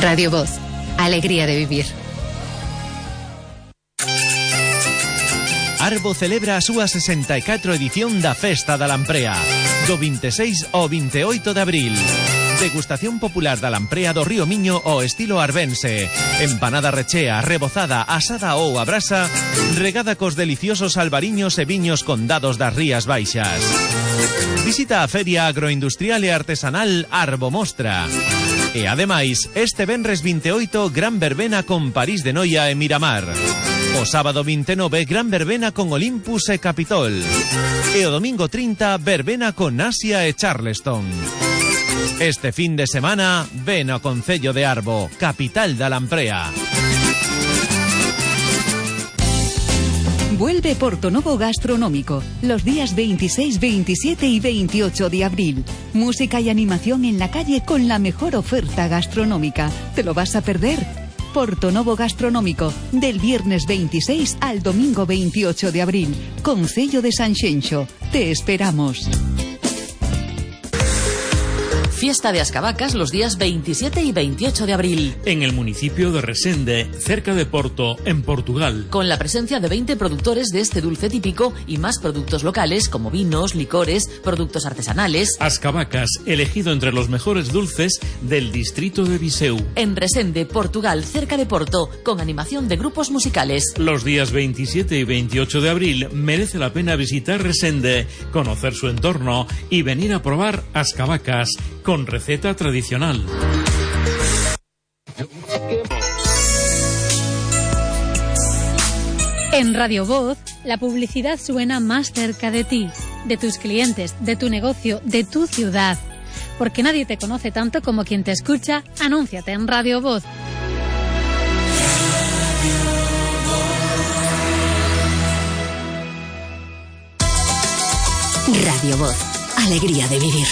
Radio Voz, alegría de vivir. Arbo celebra a súa 64 edición da Festa da Lamprea, do 26 ao 28 de abril. Degustación popular da lamprea do Río Miño ao estilo arbense. Empanada rechea, rebozada, asada ou a brasa, regada cos deliciosos albariños e viños condados das Rías Baixas. Visita a Feria Agroindustrial e Artesanal Arbo Mostra. E ademais, este venres 28, gran verbena con París de Noia e Miramar. O sábado 29, gran verbena con Olympus e Capitol. E o domingo 30, verbena con Asia e Charleston. Este fin de semana, ven ao Concello de Arbo, capital da Lamprea. Vuelve Portonovo Gastronómico, los días 26, 27 y 28 de abril. Música y animación en la calle con la mejor oferta gastronómica. ¿Te lo vas a perder? Portonovo Gastronómico, del viernes 26 al domingo 28 de abril. Concello de Sanxenxo. Te esperamos. Fiesta de Ascabacas los días 27 y 28 de abril. En el municipio de Resende, cerca de Porto, en Portugal. Con la presencia de 20 productores de este dulce típico y más productos locales como vinos, licores, productos artesanales. Ascabacas, elegido entre los mejores dulces del distrito de Viseu. En Resende, Portugal, cerca de Porto, con animación de grupos musicales. Los días 27 y 28 de abril merece la pena visitar Resende, conocer su entorno y venir a probar Ascabacas con receta tradicional. En Radio Voz, la publicidad suena más cerca de ti, de tus clientes, de tu negocio, de tu ciudad. Porque nadie te conoce tanto como quien te escucha. Anúnciate en Radio Voz. Radio Voz, alegría de vivir.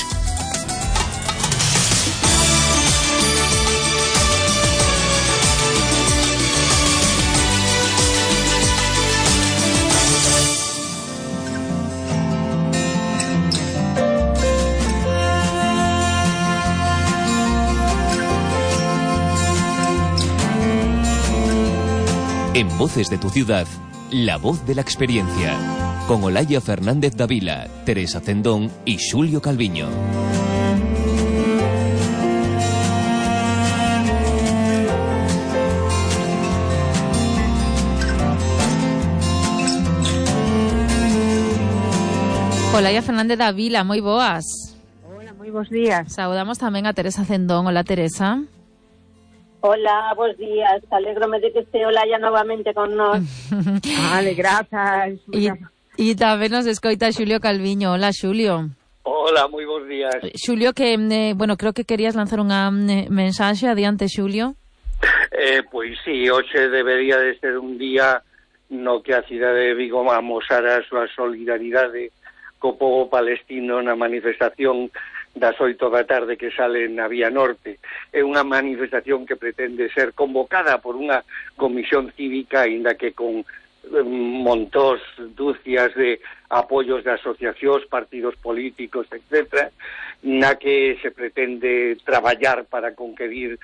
En Voces de tu Ciudad, la voz de la experiencia. Con Olaya Fernández Davila, Teresa Cendón y Xulio Calviño. Olaya Fernández Davila, moi boas. Hola, moi bons días. Saudamos tamén a Teresa Cendón. Hola, Teresa. Hola, bons días. Alégrome de que este Olaya novamente con nós. Vale, grazas. E tamén nos escoita Xulio Calviño. Hola, Xulio. Hola, moi bons días. Xulio, que, bueno, creo que querías lanzar unha mensaxe. Adiante, Xulio. Pois sí, hoxe debería de ser un día no que a cidade de Vigo amosara a súa solidaridade co pobo palestino na manifestación das 8 da tarde que sale na Vía Norte. É unha manifestación que pretende ser convocada por unha comisión cívica, aínda que con montós, dúcias de apoios de asociacións, partidos políticos, etc., na que se pretende traballar para conquerir,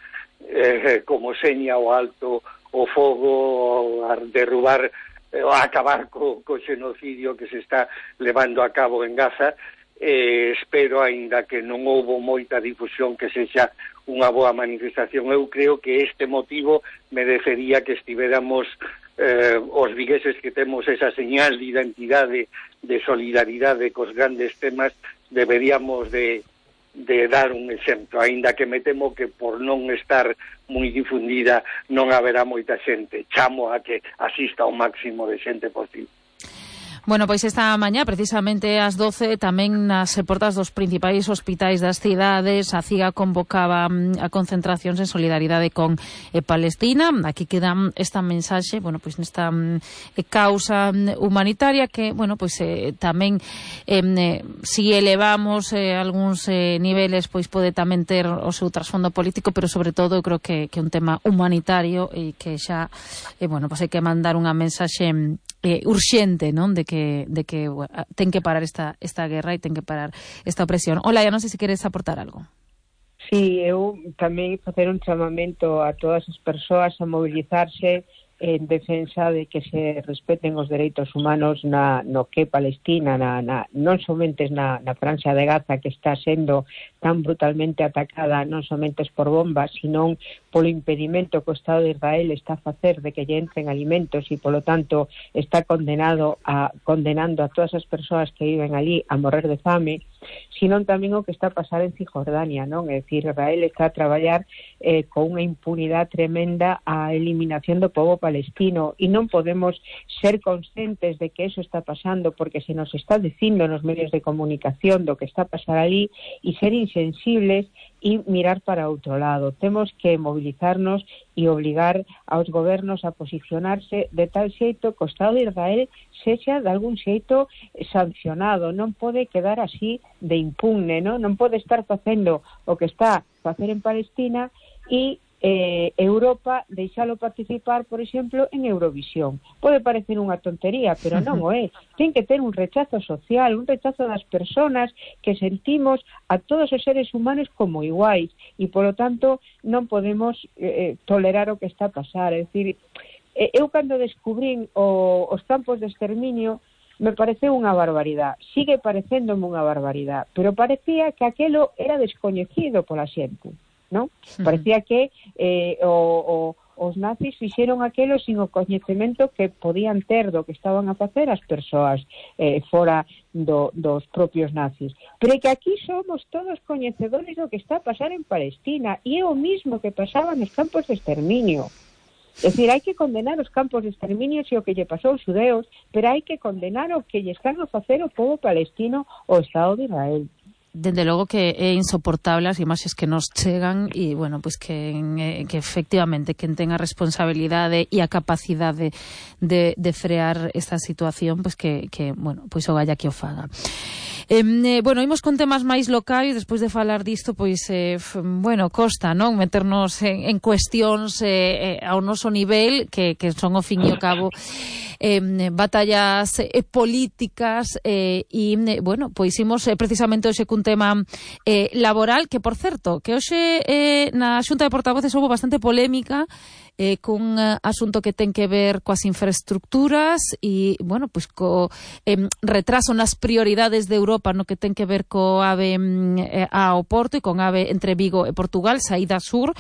como seña o alto, o fogo, a derrubar, a acabar co xenocidio que se está levando a cabo en Gaza. Espero, aínda que non houbo moita difusión, que sexa unha boa manifestación. Eu creo que este motivo merecería que estiveramos os vigueses que temos esa señal de identidade, de solidaridade cos grandes temas, deberíamos de dar un exemplo, aínda que me temo que por non estar moi difundida non haberá moita xente. Chamo a que asista ao máximo de xente posible. Bueno, pois esta mañá, precisamente ás 12, tamén nas portas dos principais hospitais das cidades, a CIGA convocaba a concentracións en solidaridade con Palestina. Aquí queda esta mensaxe, bueno, pois nesta causa humanitaria que, bueno, pois tamén si elevamos algúns niveles, pois pode tamén ter o seu trasfondo político, pero sobre todo eu creo que é un tema humanitario e que xa, bueno, pois hai que mandar unha mensaxe urxente, non? De que ten que parar esta guerra e ten que parar esta opresión. Hola, ya non sei se queres aportar algo. Sí, eu tamén facer un chamamento a todas as persoas a mobilizarse en defensa de que se respeten os dereitos humanos no que Palestina, non somente na Franja de Gaza, que está sendo tan brutalmente atacada non somente por bombas, sino polo impedimento que o Estado de Israel está a facer de que lle entren alimentos e, polo tanto, está condenando a todas as persoas que viven ali a morrer de fame, sino tamén o que está a pasar en Cisjordania, non? É dicir, Israel está a traballar con unha impunidade tremenda a eliminación do povo palestino, e non podemos ser conscientes de que eso está pasando porque se nos está dicindo nos medios de comunicación do que está a pasar ali e ser insensibles e mirar para outro lado. Temos que mobilizarnos e obligar aos gobernos a posicionarse de tal xeito que o Estado de Israel sexa de algún xeito sancionado. Non pode quedar así de impune, non pode estar facendo o que está a facer en Palestina e Europa deixalo participar, por exemplo, en Eurovisión. Pode parecer unha tontería, pero non o é. Ten que ter un rechazo social, un rechazo das persoas que sentimos a todos os seres humanos como iguais, e polo tanto non podemos tolerar o que está a pasar. É dicir, eu cando descubrín os campos de exterminio me pareceu unha barbaridade, sigue parecéndome unha barbaridade, pero parecía que aquelo era descoñecido pola xente, non? Parecía que os nazis fixeron aquelo sin o coñecemento que podían ter do que estaban a facer as persoas fora dos propios nazis. Pero que aquí somos todos coñecedores do que está a pasar en Palestina, e é o mismo que pasaba nos campos de exterminio. É dicir, hai que condenar os campos de exterminio e o que lle pasou aos xudeus, pero hai que condenar o que lle están a facer o povo palestino o Estado de Israel. Dende logo que é insoportable as imaxes que nos chegan, e, bueno, pois que efectivamente quen ten a responsabilidade e a capacidade de frear esta situación, pois que bueno, pois o galla que o faga. Bueno, imos con temas máis locais. Despois de falar disto, pois, bueno, costa, non? Meternos en cuestións ao noso nivel, que son, ao fin e ao cabo, batallas políticas, e, bueno, pois imos precisamente hoxe cun tema laboral, que, por certo, que hoxe na Xunta de Portavoces houve bastante polémica cun asunto que ten que ver coas infraestructuras e, bueno, pois co retraso nas prioridades de Europa no que ten que ver co AVE ao Porto e con AVE entre Vigo e Portugal, saída sur.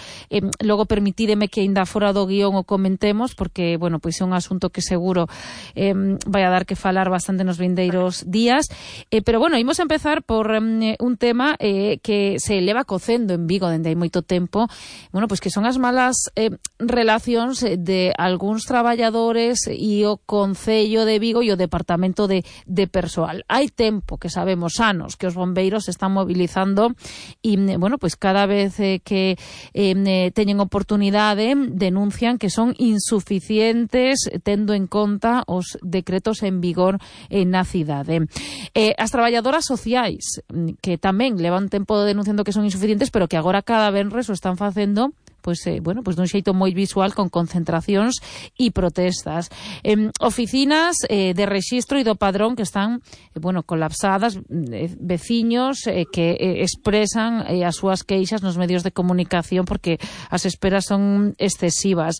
Logo permitídeme que ainda fora do guión o comentemos, porque, bueno, pois é un asunto que seguro vai a dar que falar bastante nos vindeiros días. Pero, bueno, imos a empezar por un tema que se leva cocendo en Vigo dende hai moito tempo, bueno, pois que son as malas relacións de algúns traballadores e o Concello de Vigo e o Departamento de Persoal. Hai tempo, que sabemos, anos, que os bombeiros se están mobilizando e, bueno, pois cada vez que teñen oportunidade denuncian que son insuficientes tendo en conta os decretos en vigor na cidade. As traballadoras sociais, que tamén levan tempo denunciando que son insuficientes, pero que agora cada venres o están facendo pois, bueno, pois dun xeito moi visual, con concentracións e protestas. Oficinas de rexistro e do padrón que están, bueno, colapsadas, veciños que expresan as súas queixas nos medios de comunicación porque as esperas son excesivas.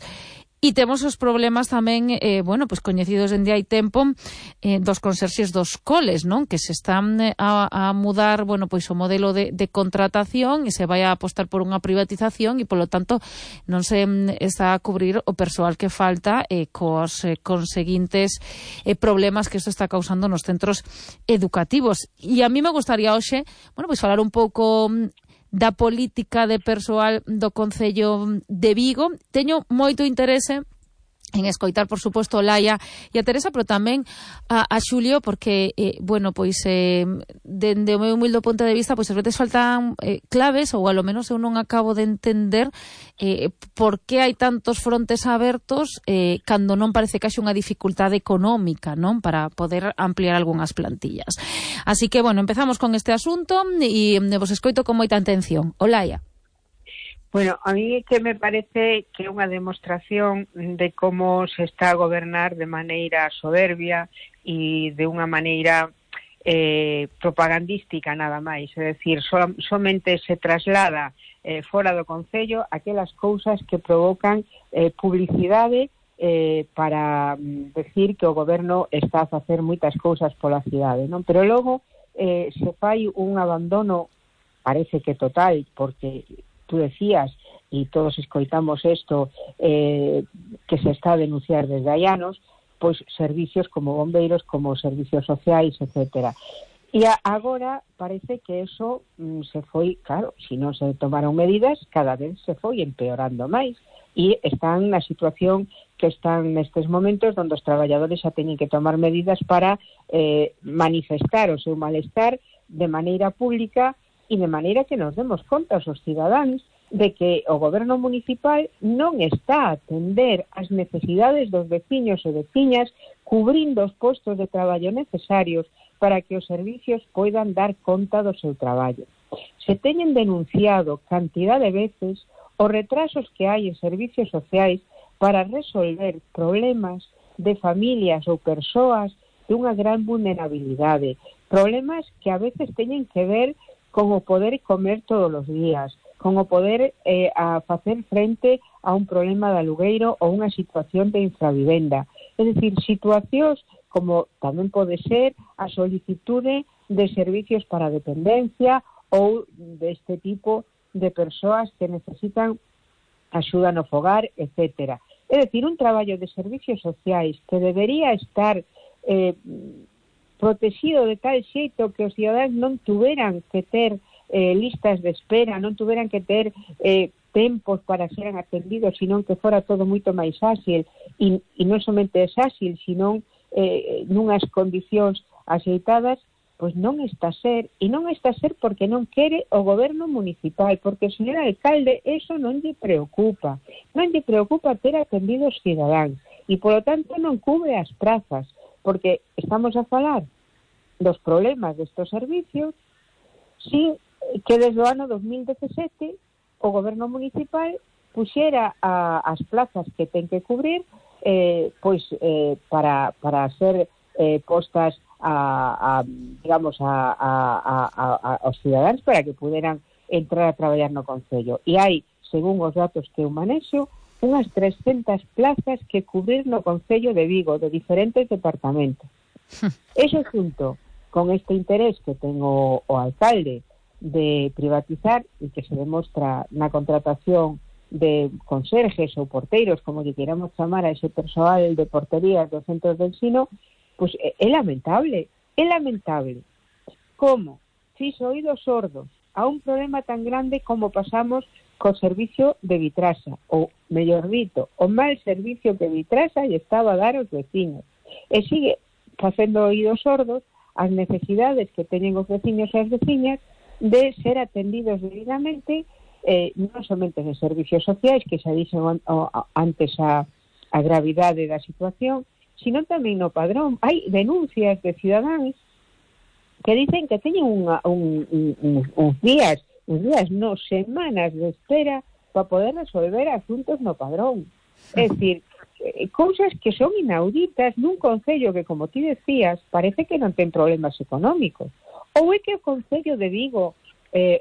E temos os problemas tamén, bueno, pois coñecidos dende hai tempo, dos conserxes dos coles, non? Que se están a mudar, bueno, pois o modelo de contratación e se vai a apostar por unha privatización e, polo tanto, non se está a cubrir o persoal que falta cos conseguintes problemas que isto está causando nos centros educativos. E a mí me gustaría hoxe, bueno, pois falar un pouco da política de persoal do Concello de Vigo. Teño moito interese en escoitar, por suposto, Laia e a Teresa, pero tamén a Xulio, porque, bueno, pois, dende o meu humilde punto de vista, pois, as veces faltan claves, ou, alo menos, eu non acabo de entender por que hai tantos frontes abertos cando non parece que haxe unha dificultade económica, non? Para poder ampliar algunhas plantillas. Así que, bueno, empezamos con este asunto e vos escoito con moita atención. O Laia. Bueno, a mí que me parece que é unha demostración de como se está a gobernar de maneira soberbia e de unha maneira propagandística nada máis, é dicir, somente se traslada fora do concello aquelas cousas que provocan publicidade para decir que o goberno está a facer moitas cousas pola cidade, non? Pero logo se fai un abandono, parece que total, porque tú decías, e todos escoitamos isto, que se está a denunciar desde hai anos, pois servicios como bombeiros, como servicios sociais, etcétera. E agora parece que eso se foi, claro, se non se tomaron medidas, cada vez se foi empeorando máis. E están na situación que están nestes momentos onde os traballadores xa teñen que tomar medidas para manifestar o seu malestar de maneira pública e de maneira que nos demos conta os cidadáns de que o goberno municipal non está a atender as necesidades dos veciños e veciñas, cubrindo os postos de traballo necesarios para que os servicios poidan dar conta do seu traballo. Se teñen denunciado cantidad de veces os retrasos que hai en servicios sociais para resolver problemas de familias ou persoas dunha gran vulnerabilidade, problemas que a veces teñen que ver con o poder comer todos os días, con o poder a facer frente a un problema de alugueiro ou unha situación de infravivenda. É dicir, situacións como tamén pode ser a solicitude de servicios para dependencia ou deste tipo de persoas que necesitan axuda no fogar, etcétera. É dicir, un traballo de servicios sociais que debería estar protegido de tal xeito que os cidadáns non tuveran que ter listas de espera, non tuveran que ter tempos para ser atendidos, senón que fora todo moito máis áxil, e non somente é áxil, senón nunhas condicións axeitadas, pois non está a ser, e non está a ser porque non quere o goberno municipal, porque o señor alcalde eso non lle preocupa ter atendido os cidadáns, e polo tanto non cubre as prazas, porque estamos a falar dos problemas destes servicios sin que desde o ano 2017 o goberno municipal puxera as plazas que ten que cubrir para ser postas aos cidadáns para que puderan entrar a traballar no concello. E hai, según os datos que eu manexo, unhas 300 plazas que cubrir no concello de Vigo, de diferentes departamentos. Eso xunto con este interés que ten o alcalde de privatizar e que se demostra na contratación de conserjes ou porteiros, como lle queramos chamar a ese persoal de porterías dos centros de ensino, pois é lamentable. É lamentable como fixo oídos sordos a un problema tan grande como pasamos co servicio de Vitrasa, ou, mellor dito, o mal servicio que Vitrasa lle estaba a dar aos veciños. E sigue facendo oídos sordos as necesidades que teñen os veciños e as veciñas de ser atendidos debidamente, non somente de servicios sociais, que xa dixen antes a gravidade da situación, sino tamén no padrón. Hai denuncias de cidadáns que dicen que teñen uns días, no, semanas de espera para poder resolver asuntos no padrón. É dicir, cousas que son inauditas nun concello que, como ti decías, parece que non ten problemas económicos. Ou é que o Concello de Vigo,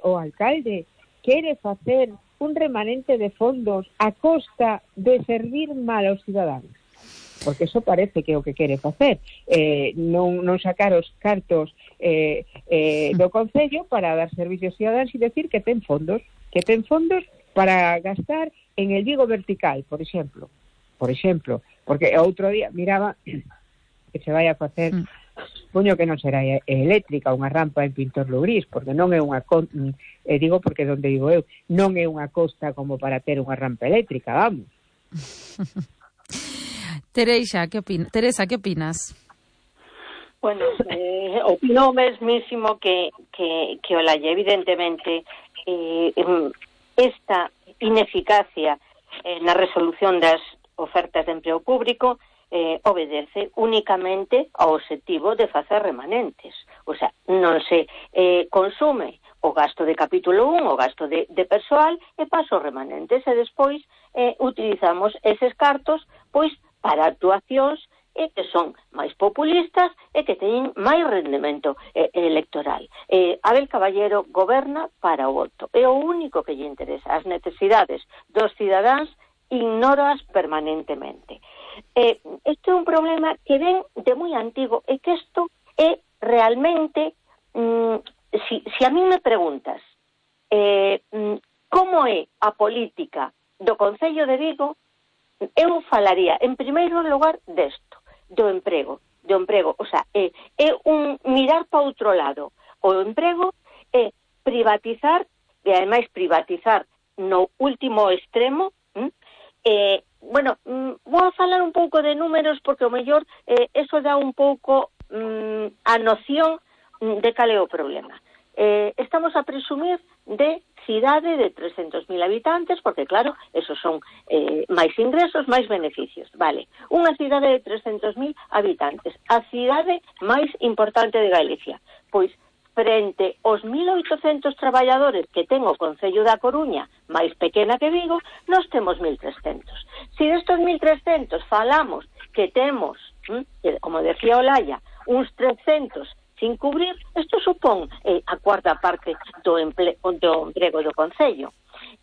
o alcalde, quere facer un remanente de fondos a costa de servir mal aos cidadáns? Porque eso parece que é o que quere facer. Non sacar os cartos do Concello para dar servicios cidadáns e decir que ten fondos para gastar en el Vigo vertical, por exemplo, porque outro día miraba que se vai a facer, puño que non será eléctrica, unha rampa en Pintor Lugrís, porque non é unha digo porque donde vivo eu, non é unha costa como para ter unha rampa eléctrica, vamos. Teresa, que opinas? Bueno, opino mesmísimo que Olaia, evidentemente, esta ineficacia na resolución das ofertas de emprego público obedece únicamente ao obxectivo de facer remanentes. O sea, non se consume o gasto de capítulo 1, o gasto de persoal, e paso remanentes, e despois utilizamos eses cartos pois para actuacións e que son máis populistas e que teñen máis rendemento electoral. Abel Caballero goberna para o voto. É o único que lle interesa. As necesidades dos cidadáns ignóraas permanentemente. Este é un problema que ven de moi antigo e que isto é realmente, si a mí me preguntas como é a política do Concello de Vigo, eu falaría, en primeiro lugar, desto, do emprego. O sea, é un mirar para outro lado. O emprego é privatizar, e ademais privatizar no último extremo. Vou a falar un pouco de números, porque o mellor eso dá un pouco a noción de cal é o problema. Estamos a presumir de cidade de 300.000 habitantes, porque claro, esos son máis ingresos, máis beneficios. Vale, unha cidade de 300.000 habitantes, a cidade máis importante de Galicia. Pois, frente aos 1.800 traballadores que ten o Concello da Coruña, máis pequena que Vigo, nós temos 1.300. Se destos 1.300 falamos que temos, como decía Olaya, uns 300 sin cubrir, isto supón a cuarta parte do emprego do Concello.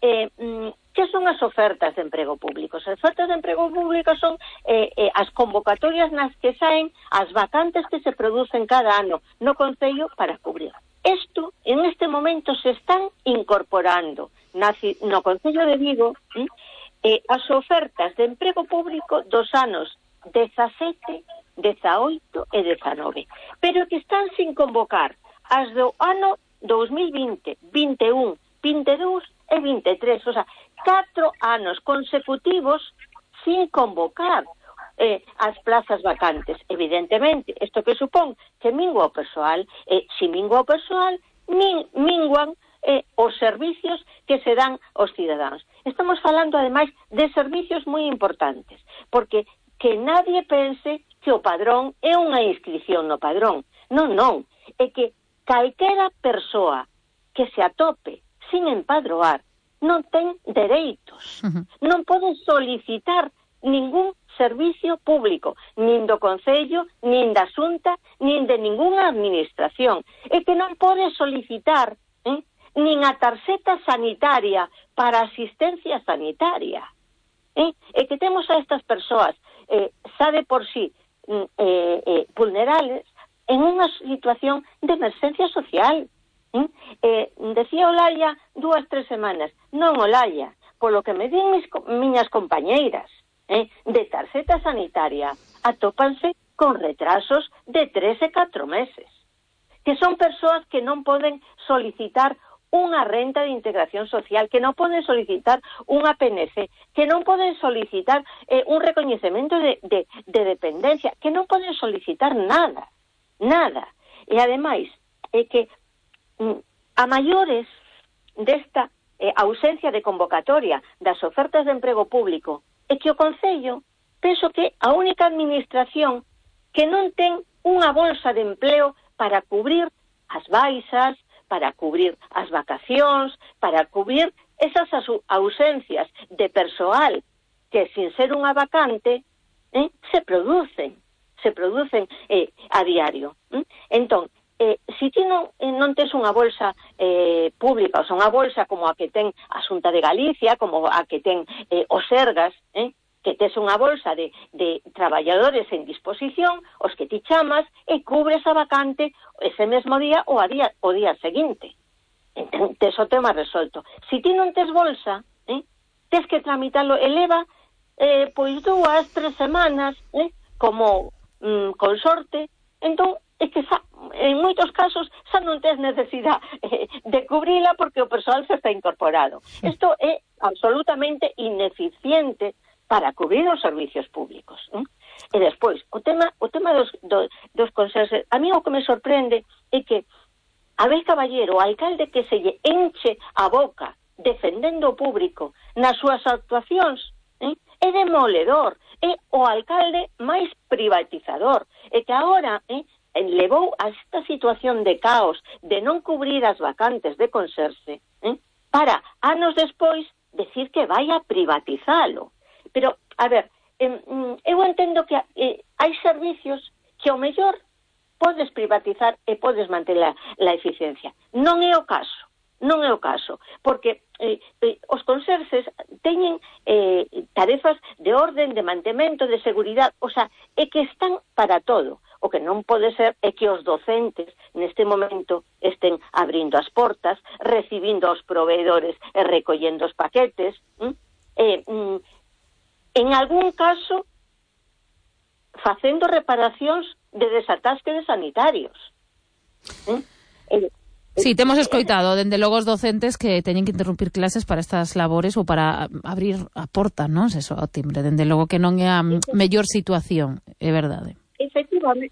Que son as ofertas de emprego público? As ofertas de emprego público son as convocatorias nas que saen as vacantes que se producen cada ano no Concello para cubrir. Isto, en este momento, se están incorporando no Concello de Vigo as ofertas de emprego público dos anos 17, 18 e 19, pero que están sin convocar as do ano 2020, 21, 22 e 23, o sea, 4 anos consecutivos sin convocar as plazas vacantes. Evidentemente, isto que supón que mingua o persoal, se mingua o persoal, minguan os servicios que se dan aos cidadáns. Estamos falando, ademais, de servicios moi importantes, porque que nadie pense que o padrón é unha inscripción no padrón. Non. É que calquera persoa que se atope sin empadroar non ten dereitos. Non pode solicitar ningún servicio público, nin do Concello, nin da Xunta, nin de ningunha administración. É que non pode solicitar nin a tarxeta sanitaria para asistencia sanitaria. É que temos a estas persoas xa de por sí vulnerables en unha situación de emerxencia social. Decía Olaya 2-3 semanas. Non, Olaya, polo que me din miñas compañeiras de tarxeta sanitaria, atópanse con retrasos de 3 e 4 meses, que son persoas que non poden solicitar unha renta de integración social, que non poden solicitar unha PNC, que non poden solicitar un recoñecemento de dependencia, que non poden solicitar nada. E ademais, é que a maiores desta ausencia de convocatoria das ofertas de emprego público, é que o Concello, penso que a única administración que non ten unha bolsa de empleo para cubrir as baixas, para cubrir as vacacións, para cubrir esas ausencias de persoal que, sin ser unha vacante, se producen a diario. Entón, se ti non tes unha bolsa pública, ou sea, unha bolsa como a que ten a Xunta de Galicia, como a que ten o Sergas, que tes unha bolsa de traballadores en disposición, os que ti chamas, e cubres a vacante ese mesmo día ou o día seguinte. Entón, tes o tema resolto. Se ti non tes bolsa, tes que tramitarlo, eleva pois 2-3 semanas, como con sorte. Entón, é que en moitos casos xa non tes necesidade de cubrila porque o persoal se está incorporado. Isto é absolutamente ineficiente para cubrir os servicios públicos. E despois, o tema dos consellos, a mí o que me sorprende é que Abel Caballero, o alcalde que se lle enche a boca defendendo o público nas súas actuacións, é demoledor, é o alcalde máis privatizador, e que agora levou a esta situación de caos, de non cubrir as vacantes de conserxe, para, anos despois, decir que vai a privatizalo. Pero, a ver, eu entendo que hai servicios que ao mellor podes privatizar e podes manter a eficiencia. Non é o caso, porque os conserxes teñen tarefas de orden, de mantemento, de seguridade, o sea, é que están para todo. O que non pode ser é que os docentes neste momento estén abrindo as portas, recibindo aos proveedores e recollendo os paquetes, en algún caso facendo reparacións de desatasque de sanitarios. Sí, temos escoitado, dende logo os docentes que teñen que interrumpir clases para estas labores ou para abrir a porta, non? Eso, ao timbre, dende logo que non é a mellor situación, é verdade.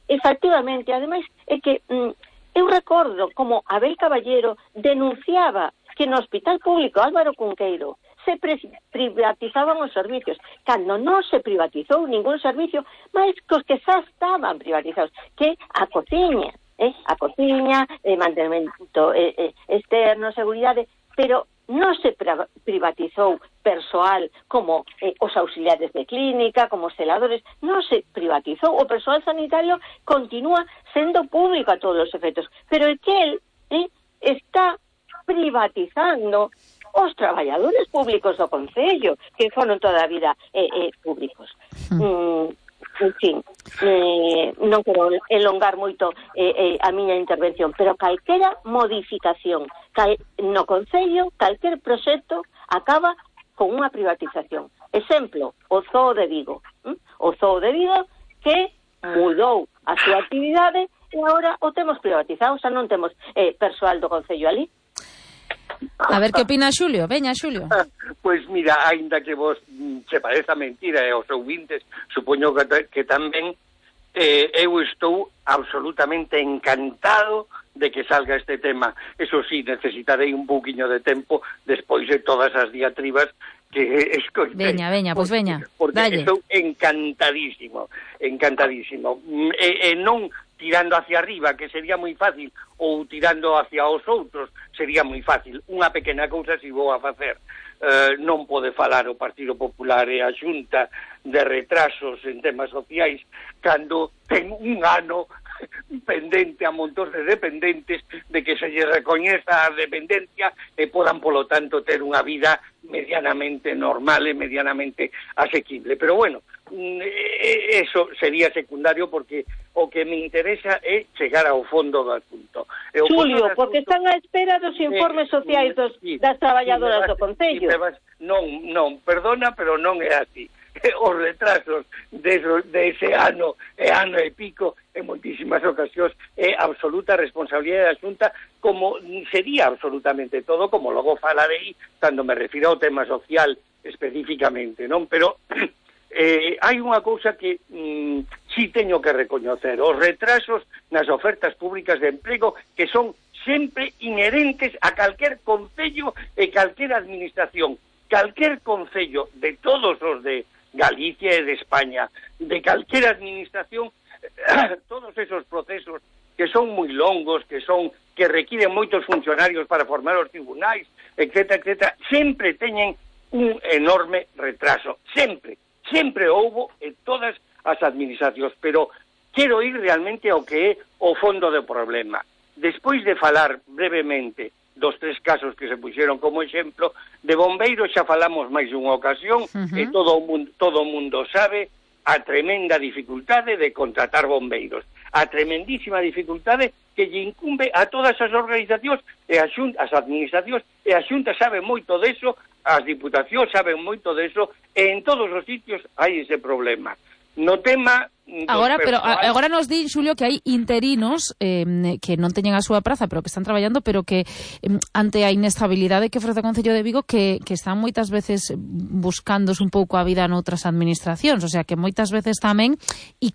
Efectivamente, ademais é que eu recordo como Abel Caballero denunciaba que no Hospital Público Álvaro Cunqueiro se privatizaban os servicios, cando non se privatizou ningún servicio, máis que os que xa estaban privatizados, que a cociña, mantemento externo, seguridade, pero non se privatizou persoal como os auxiliares de clínica, como os celadores, non se privatizou. O persoal sanitario continúa sendo público a todos os efectos, pero é que el está privatizando os traballadores públicos do Concello, que foron toda a vida públicos. En fin, non quero elongar moito a miña intervención, pero calquera modificación no Concello, calquer proxecto acaba con unha privatización. Exemplo, o Zoo de Vigo. O Zoo de Vigo que mudou a súa actividade e agora o temos privatizado, xa non temos persoal do Concello ali. A ver que opina Xulio. Veña, Xulio. Pois mira, aínda que vos se pareza mentira e aos ouvintes, supoño que tamén eu estou absolutamente encantado de que salga este tema. Eso sí, necesitarei un pouquiño de tempo despois de todas as diatribas que escoitei. Veña, pois veña. Porque dalle. Estou encantadísimo. E non tirando hacia arriba, que sería moi fácil, ou tirando hacia os outros, sería moi fácil. Unha pequena cousa si vou a facer. Non pode falar o Partido Popular e a Xunta de retrasos en temas sociais cando ten un ano pendente a montón de dependentes de que se lle recoñeza a dependencia e podan, polo tanto, ter unha vida medianamente normal e medianamente asequible. Pero bueno, eso sería secundario porque o que me interesa é chegar ao fondo do asunto. Xulio, porque están á espera dos informes sociais das traballadoras do Concello. Non, perdona, pero non é así. Os retrasos de ese ano e pico en moitísimas ocasións é absoluta responsabilidade da Xunta, como sería absolutamente todo, como logo falarei cando me refiro ao tema social especificamente, non? Pero hai unha cousa que sí teño que recoñecer: os retrasos nas ofertas públicas de emprego, que son sempre inherentes a calquer concello e calquer administración. Calquer concello de todos os de Galicia e de España, de calquer administración, todos esos procesos que son moi longos, que requiren moitos funcionarios para formar os tribunais, etcétera, sempre teñen un enorme retraso. Sempre houbo en todas as administracións, pero quero ir realmente ao que é o fondo do problema. Despois de falar brevemente dos 3 casos que se puxeron como exemplo, de bombeiros xa falamos máis dunha ocasión, e todo o mundo sabe a tremenda dificultade de contratar bombeiros, a tremendísima dificultade que lle incumbe a todas as organizacións e as administracións, e a Xunta sabe moito deso, as diputacións saben moito deso, e en todos os sitios hai ese problema. No tema Agora nos di, Xulio, que hai interinos que non teñen a súa praza, pero que están traballando, pero que ante a inestabilidade que ofrece o Concello de Vigo, que están moitas veces buscándose un pouco a vida noutras administracións, o sea, que moitas veces tamén, e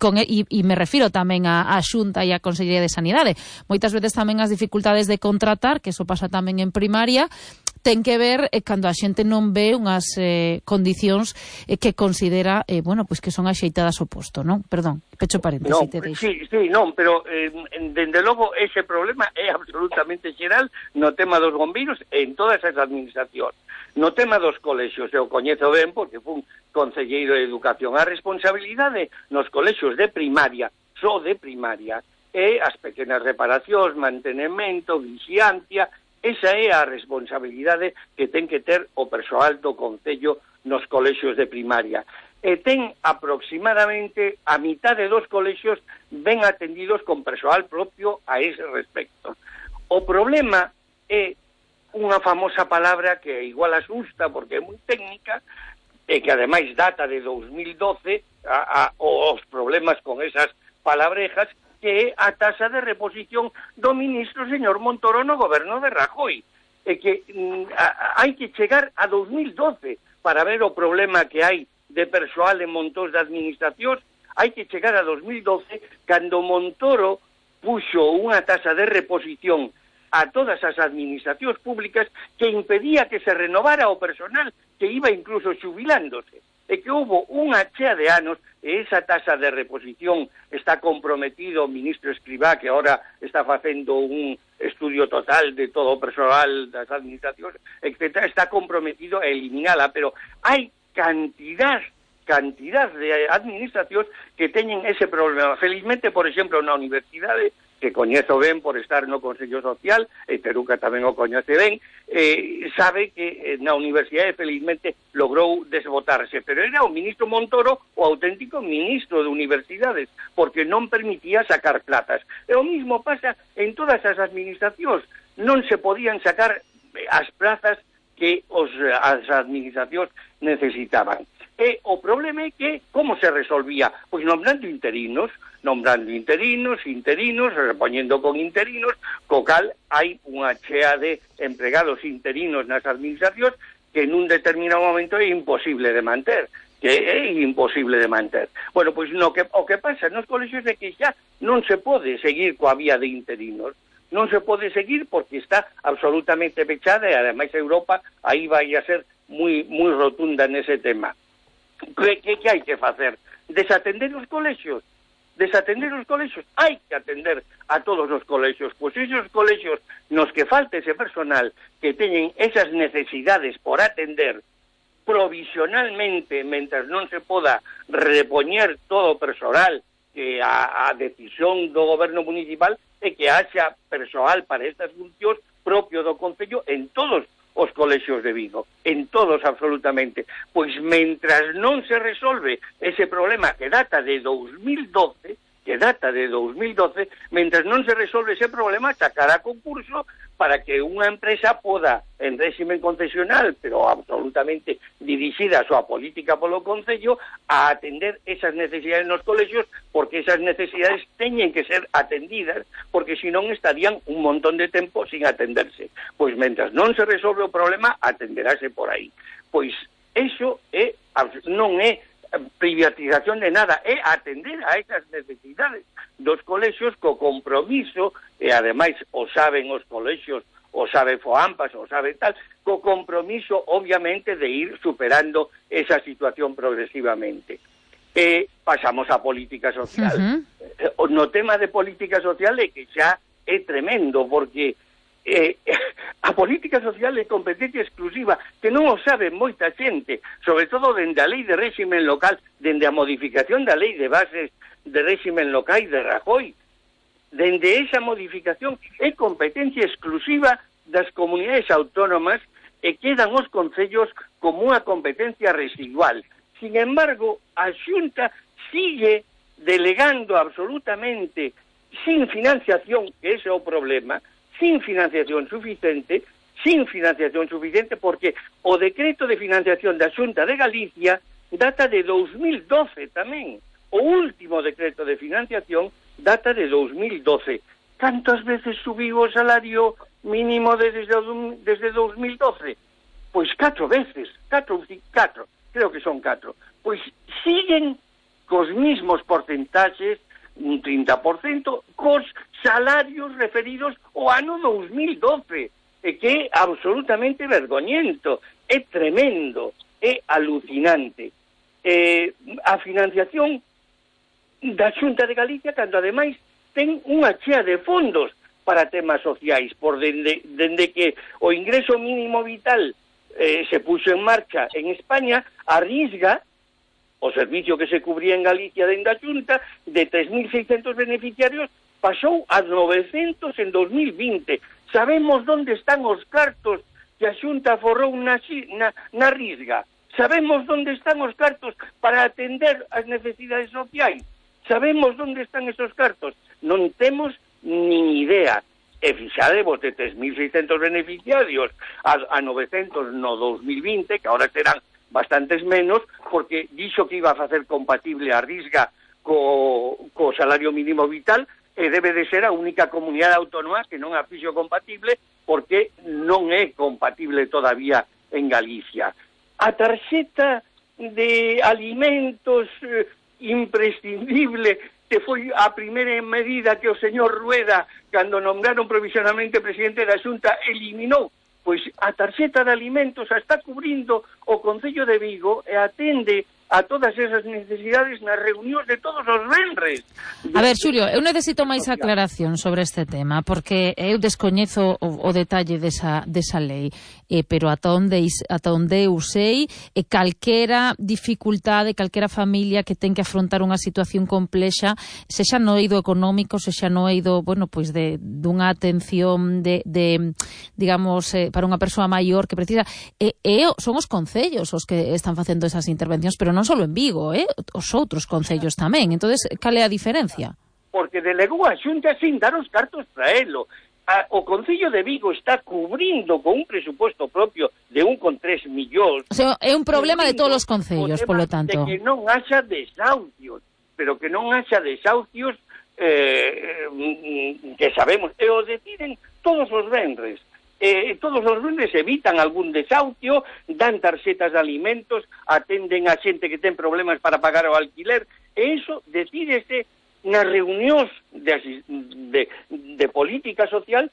me refiro tamén a Xunta e a Consellería de Sanidade, moitas veces tamén as dificultades de contratar, que eso pasa tamén en primaria, ten que ver cando a xente non ve unhas condicións que considera, bueno, pois que son axeitadas ao posto, non? Perdón, pecho paréntesis, te deixo. Sí, non, pero dende logo ese problema é absolutamente xeral no tema dos bombeiros en todas as administracións. No tema dos colexios, eu coñezo ben porque fui concelleiro de Educación. A responsabilidade nos colexios de primaria, só de primaria, e as pequenas reparacións, mantenimento, vixiancia. Esa é a responsabilidade que ten que ter o persoal do Concello nos colexios de primaria. E ten aproximadamente a mitad de dos colexios ben atendidos con persoal propio a ese respecto. O problema é unha famosa palabra que igual asusta porque é moi técnica e que ademais data de 2012 os problemas con esas palabrejas, que é a taxa de reposición do ministro señor Montoro no goberno de Rajoy. E que hai que chegar a 2012 para ver o problema que hai de persoal en montóns de administracións. Hai que chegar a 2012 cando Montoro puxo unha taxa de reposición a todas as administracións públicas que impedía que se renovara o personal, que iba incluso xubilándose. E que houve unha chea de anos, e esa taxa de reposición está comprometido o ministro Escrivá, que ahora está facendo un estudio total de todo o persoal das administracións, etc., está comprometido a eliminala, pero hai cantidad de administracións que teñen ese problema. Felizmente, por exemplo, na universidade, que coñezo ben por estar no Consello Social, e Teruca tamén o coñece ben, sabe que na universidade felizmente logrou desbotarse, pero era o ministro Montoro o auténtico ministro de universidades, porque non permitía sacar plazas. E o mismo pasa en todas as administracións, non se podían sacar as plazas que as administracións necesitaban. E o problema é que, como se resolvía? Pois nombrando interinos, repoñendo con interinos, co cal hai unha chea de empregados interinos nas administracións que nun determinado momento é imposible de manter. Bueno, pois o que pasa nos colexios é que xa non se pode seguir coa vía de interinos. Non se pode seguir porque está absolutamente pechada e, ademais, Europa aí vai a ser moi rotunda nese tema. Que hai que facer? Desatender os colexios? Hai que atender a todos os colexios. Pois esos colexios nos que falte ese personal que teñen esas necesidades por atender provisionalmente, mentras non se poda repoñer todo o personal que a decisión do goberno municipal é que haxa persoal para estas funcións propio do Concello en todos os colexios de Vigo, en todos absolutamente. Pois mentras non se resolve ese problema que data de 2012, mentras non se resolve ese problema, sacará concurso para que unha empresa poda, en régimen concesional, pero absolutamente dirixida a súa política polo Concello, a atender esas necesidades nos colexios, porque esas necesidades teñen que ser atendidas, porque senón estarían un montón de tempo sin atenderse. Pois mentras non se resolve o problema, atenderase por aí. Pois eso non é privatización de nada, é atender a esas necesidades dos colexios co compromiso, e ademais o saben os colexios, o sabe Foampas, o sabe tal, co compromiso obviamente de ir superando esa situación progresivamente. Pasamos a política social. No tema de política social é que xa é tremendo, porque a política social é competencia exclusiva, que non o sabe moita xente, sobre todo dende a lei de réximen local, dende a modificación da lei de bases de réximen local de Rajoy. Dende esa modificación é competencia exclusiva das comunidades autónomas e quedan os concellos como unha competencia residual. Sin embargo, a Xunta sigue delegando absolutamente sin financiación, que ese é o problema, sin financiación suficiente, porque o decreto de financiación da Xunta de Galicia data de 2012 tamén. O último decreto de financiación data de 2012. Cantas veces subiu o salario mínimo desde 2012? Pois 4 veces, 4, creo que son 4. Pois siguen cos mismos porcentaxes, un 30%, cos salarios referidos ao ano 2012. que é absolutamente vergoñento, é tremendo, é alucinante. A financiación da Xunta de Galicia, cando ademais ten unha chea de fondos para temas sociais, por dende que o ingreso mínimo vital se puxo en marcha en España, arrisga o servicio que se cubría en Galicia dende a Xunta de 3.600 beneficiarios pasou a 900 en 2020. Sabemos onde están os cartos que a Xunta forrou na risga. Sabemos onde están os cartos para atender as necesidades sociais. Sabemos onde están esos cartos. Non temos nin idea. E fixadevos de 3.600 beneficiarios a 900 no 2020, que agora serán bastantes menos, porque dixo que iba a facer compatible a risga co salario mínimo vital, e debe de ser a única comunidade autónoma que non a fixo compatible, porque non é compatible todavía en Galicia. A tarxeta de alimentos imprescindible, que foi a primeira medida que o señor Rueda, cando nombraron provisionalmente presidente da Xunta, eliminou. Pois a tarxeta de alimentos a está cubrindo o Concello de Vigo e atende a todas esas necesidades nas reunións de todos os venres. A ver, Xulio, eu necesito máis aclaración sobre este tema, porque eu descoñezo o detalle desa lei, pero ata onde eu sei, calquera dificultade, calquera familia que ten que afrontar unha situación complexa, sexa no eido económico, sexa no eido, bueno, pois dunha atención digamos, para unha persoa maior que precisa, son os concellos os que están facendo esas intervencións, pero non só en Vigo, os outros concellos tamén. Entonces, cal é a diferencia? Porque delegou a Xunta sin dar os cartos para elo. O Concello de Vigo está cubrindo con un presupuesto propio de 1,3 millóns. O sea, é un problema de todos os concellos, polo tanto. De que non haxa desahucios, pero que non haxa desahucios que sabemos, e o deciden todos os venres. Todos os lunes evitan algún desahucio, dan tarxetas de alimentos, atenden a xente que ten problemas para pagar o alquiler, e iso decídese nas reunións de política social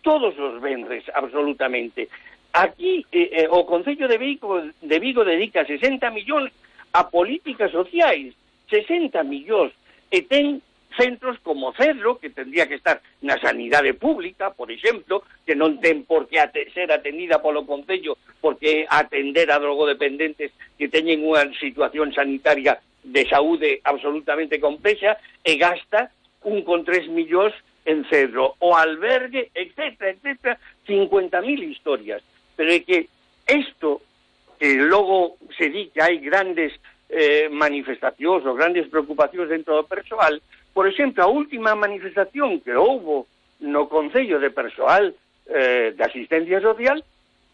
todos os venres, absolutamente. Aquí o Concello de Vigo dedica 60 millóns a políticas sociais, 60 millóns, e ten centros como Cedro, que tendría que estar na sanidade pública, por exemplo, que non ten por que ser atendida polo Concello, porque atender a drogodependentes que teñen unha situación sanitaria de saúde absolutamente complexa, e gasta 1,3 millóns en Cedro, o albergue, etcétera, etcétera, 50.000 historias. Pero é que isto, que logo se di que hai grandes manifestacións ou grandes preocupacións dentro do persoal. Por exemplo, a última manifestación que houbo no Concello de Persoal de Asistencia Social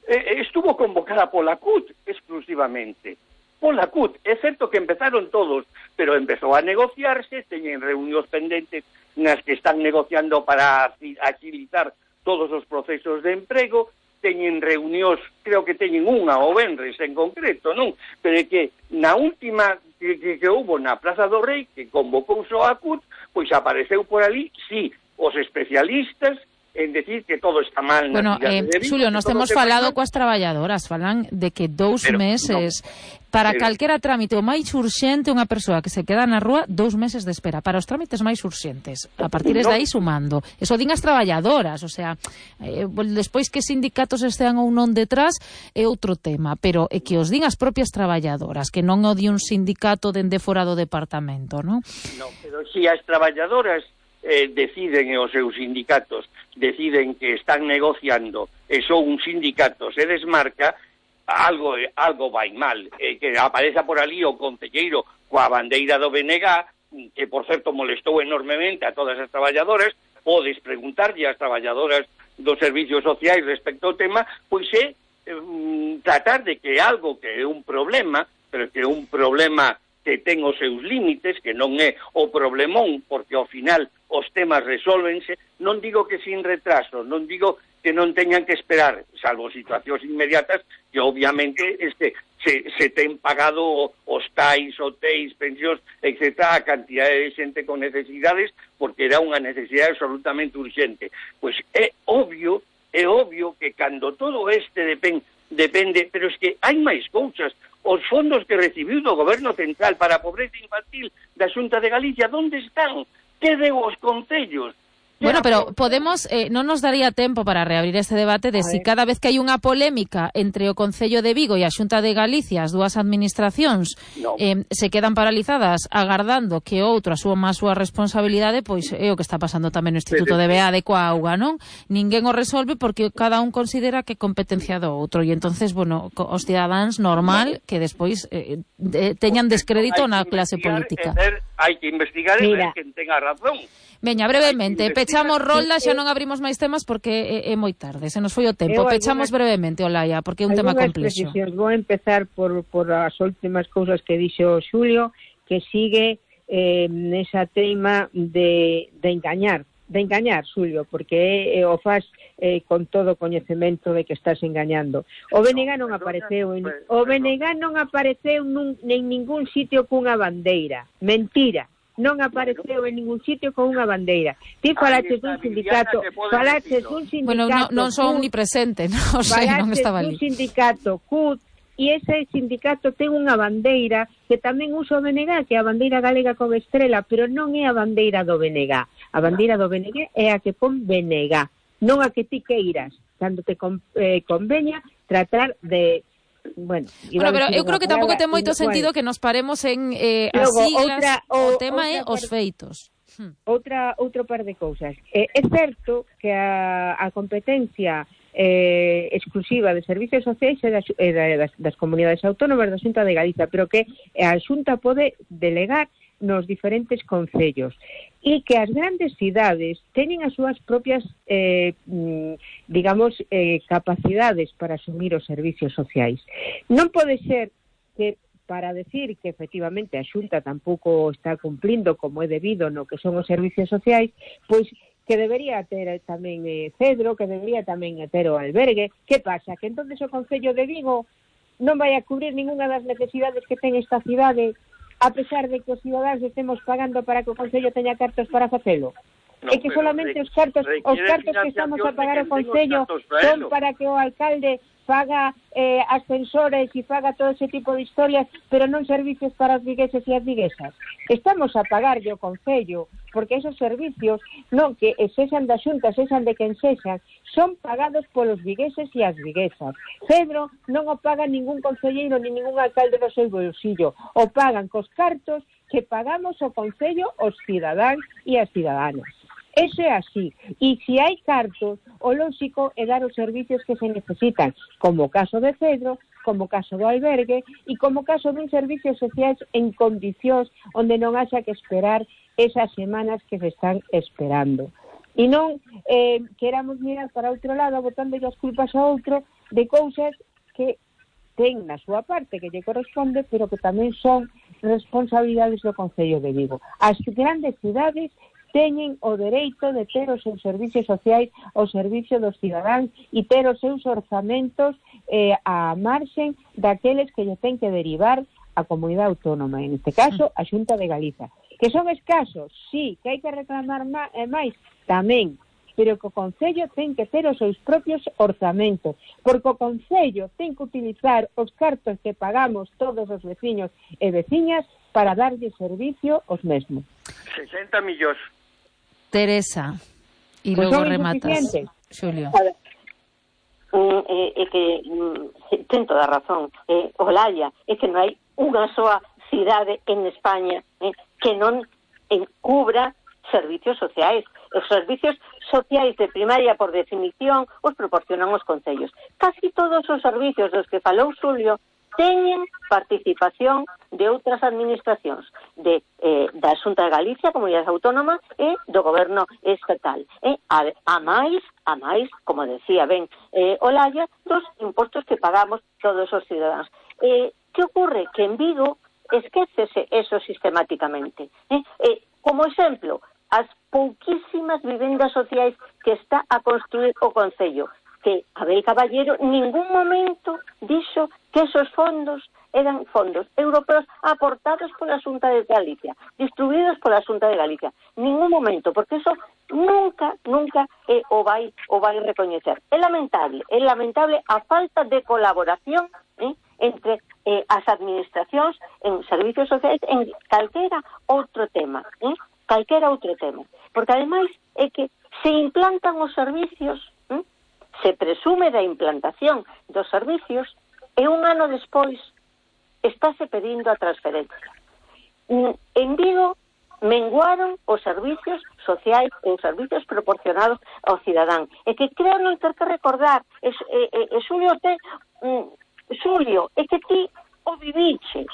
estuvo convocada pola CUT exclusivamente. Pola CUT. É certo que empezaron todos, pero empezou a negociarse, teñen reunións pendentes nas que están negociando para agilizar todos os procesos de emprego, teñen reunións, creo que teñen unha o venres en concreto, non? Pero é que na última que houve na Praza do Rei, que convocou só a CUT, pois apareceu por ali, sí, os especialistas en decir que todo está mal. Bueno, Xulio, nos temos falado coas traballadoras, falan de que 2 meses para calquera trámite o máis urxente, unha persoa que se queda na rúa, 2 meses de espera para os trámites máis urxentes, a partir de aí sumando. Eso din as traballadoras, o sea, despois que sindicatos estean ou non detrás é outro tema, pero é que os din as propias traballadoras, que non o di un sindicato dende fora do departamento, non? Non, pero si as traballadoras deciden, e os seus sindicatos deciden que están negociando e son un sindicato se desmarca, algo vai mal, que apareza por ali o concelleiro coa bandeira do BNG, que por certo molestou enormemente a todas as traballadoras. Podes preguntarlle ás traballadoras dos servicios sociais respecto ao tema, pois é tratar de que algo que é un problema, pero que é un problema que ten os seus límites, que non é o problemón, porque ao final os temas resólvense, non digo que sin retraso, non digo que non teñan que esperar, salvo situacións inmediatas, que obviamente se ten pagado os tais, hotéis, pensións, etc., a cantidade de xente con necesidades, porque era unha necesidade absolutamente urgente. Pois é obvio é obvio que cando todo depende, pero es que hai máis cousas. Os fondos que recibiu do Goberno Central para a pobreza infantil da Xunta de Galicia, onde están? Que deu os concellos? Bueno, pero podemos, non nos daría tempo para reabrir este debate de si cada vez que hai unha polémica entre o Concello de Vigo e a Xunta de Galicia, as dúas administracións, se quedan paralizadas agardando que outro asuma a súa responsabilidade, pois é o que está pasando tamén no Instituto de BEADE coa auga, non? Ninguén o resolve porque cada un considera que é competencia do outro e entonces, bueno, os cidadáns normal que despois teñan descrédito na clase política. Hai que investigar e ver quen ten a razón. Veña, brevemente, pechamos rolda, xa non abrimos máis temas porque é moi tarde, se nos foi o tempo. Pechamos brevemente, Olaya, porque é un tema complexo. Vou empezar por as últimas cousas que dixo Xulio, que sigue nesa teima de engañar, Xulio, porque o faz con todo o coñecemento de que estás engañando. O BNG non apareceu en ningún sitio cunha bandeira. Mentira. Non apareceu en ningún sitio con unha bandeira. Ti falaches dun sindicato, Bueno, non son omnipresente, non sei, non estaba ali. Falaches dun sindicato CUT, e ese sindicato ten unha bandeira que tamén usa o BNG, que é a bandeira galega con estrela, pero non é a bandeira do BNG. A bandeira do BNG é a que pon BNG, non a que ti queiras, cando te conveña tratar de... Bueno, pero eu creo que tampouco ten moito sentido que nos paremos en as siglas, o tema é os feitos. Outro par de cousas. É certo que a competencia exclusiva de servicios sociais é das comunidades autónomas da Xunta de Galicia, pero que a Xunta pode delegar nos diferentes concellos e que as grandes cidades teñen as súas propias capacidades para asumir os servicios sociais. Non pode ser que para decir que efectivamente a Xunta tampouco está cumplindo como é debido no que son os servicios sociais, pois que debería ter tamén Cedro, que debería tamén ter o albergue. Que pasa? Que entonces o Concello de Vigo non vai a cubrir ninguna das necesidades que ten esta cidade, a pesar de que os cidadáns estemos pagando para que o Concello teña cartos para facelo. É que solamente os cartos que estamos a pagar o Concello son para que o alcalde faga ascensores e faga todo ese tipo de historias, pero non servicios para os vigueses e as viguesas. Estamos a pagarlle o Concello, porque esos servicios, non que sexan da Xunta, sexan de quen sexan, son pagados polos vigueses e as viguesas. Cedro non o paga ningún concelleiro ni ningún alcalde do seu bolsillo, o pagan cos cartos que pagamos o Concello os cidadáns e as ciudadanas. Eso é así. E se hai cartos, o lóxico é dar os servicios que se necesitan, como o caso de Cedro, como o caso do albergue e como o caso dun servicio social en condicións onde non haxa que esperar esas semanas que se están esperando. E non queramos mirar para outro lado botando as culpas a outro de cousas que ten na súa parte que lle corresponde, pero que tamén son responsabilidades do Concello de Vigo. As grandes cidades teñen o dereito de ter os seus servicios sociais ao servicio dos cidadáns e ter os seus orzamentos a marxen daqueles que lle ten que derivar a comunidade autónoma, en este caso a Xunta de Galiza. Que son escasos, sí, que hai que reclamar máis, tamén, pero que o Concello ten que ter os seus propios orzamentos, porque o Concello ten que utilizar os cartos que pagamos todos os veciños e veciñas para darlle servicio aos mesmos. 60 millóns. Teresa, e logo rematas, Xulio. É que ten toda a razón. Olaya, é que non hai unha soa cidade en España que non encubra servicios sociais. Os servicios sociais de primaria, por definición, os proporcionan os concellos. Casi todos os servicios dos que falou Xulio teñen participación de outras administracións, da Xunta de Galicia, Comunidade Autónoma e do Goberno Estatal. A máis, como decía ben Olaya, dos impostos que pagamos todos os cidadáns. Que ocorre? Que en Vigo esquécese eso sistemáticamente. Como exemplo, as pouquísimas vivendas sociais que está a construir o Concello, que Abel Caballero ningún momento dixo que esos fondos eran fondos europeos aportados pola Xunta de Galicia, distribuídos pola Xunta de Galicia. Ningún momento, porque eso nunca o vai recoñecer. É lamentable a falta de colaboración entre as administracións en servicios sociais en calquera outro tema, porque ademais é que se implantan os servicios, se presume da implantación dos servicios e un ano despois estáse pedindo a transferencia. En Vigo menguaron os servicios sociais e os servicios proporcionados ao cidadán. E que creo non ter que recordar, Xulio, é que ti o viviches,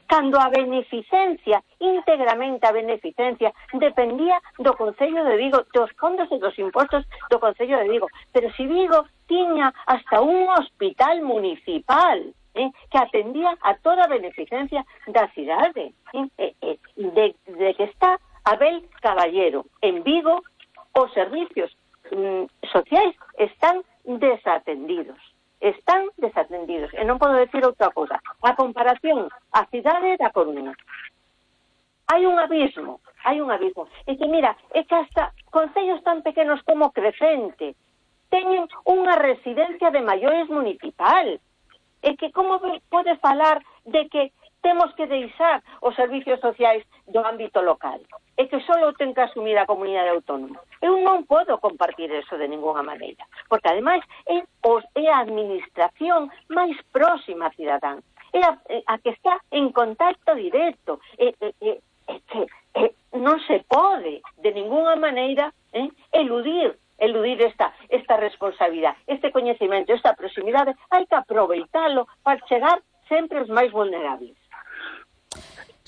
cando a beneficencia, íntegramente a beneficencia, dependía do Concello de Vigo, dos fondos e dos impostos do Concello de Vigo. Pero si Vigo tiña hasta un hospital municipal que atendía a toda a beneficencia da cidade. De que está Abel Caballero en Vigo, os servicios sociais están desatendidos. E non podo decir outra cosa. A comparación a cidade da Coruña, hai un abismo. É que mira, é que hasta concellos tan pequenos como Crecente teñen unha residencia de maiores municipal. É que como pode falar de que temos que deixar os servicios sociais do ámbito local? É que só ten que asumir a comunidade autónoma. Eu non podo compartir eso de ninguna maneira, porque ademais é a administración máis próxima a cidadán, é a que está en contacto directo, non se pode de ninguna maneira eludir esta responsabilidade, este coñecemento, esta proximidade. Hai que aproveitalo para chegar sempre aos máis vulnerables.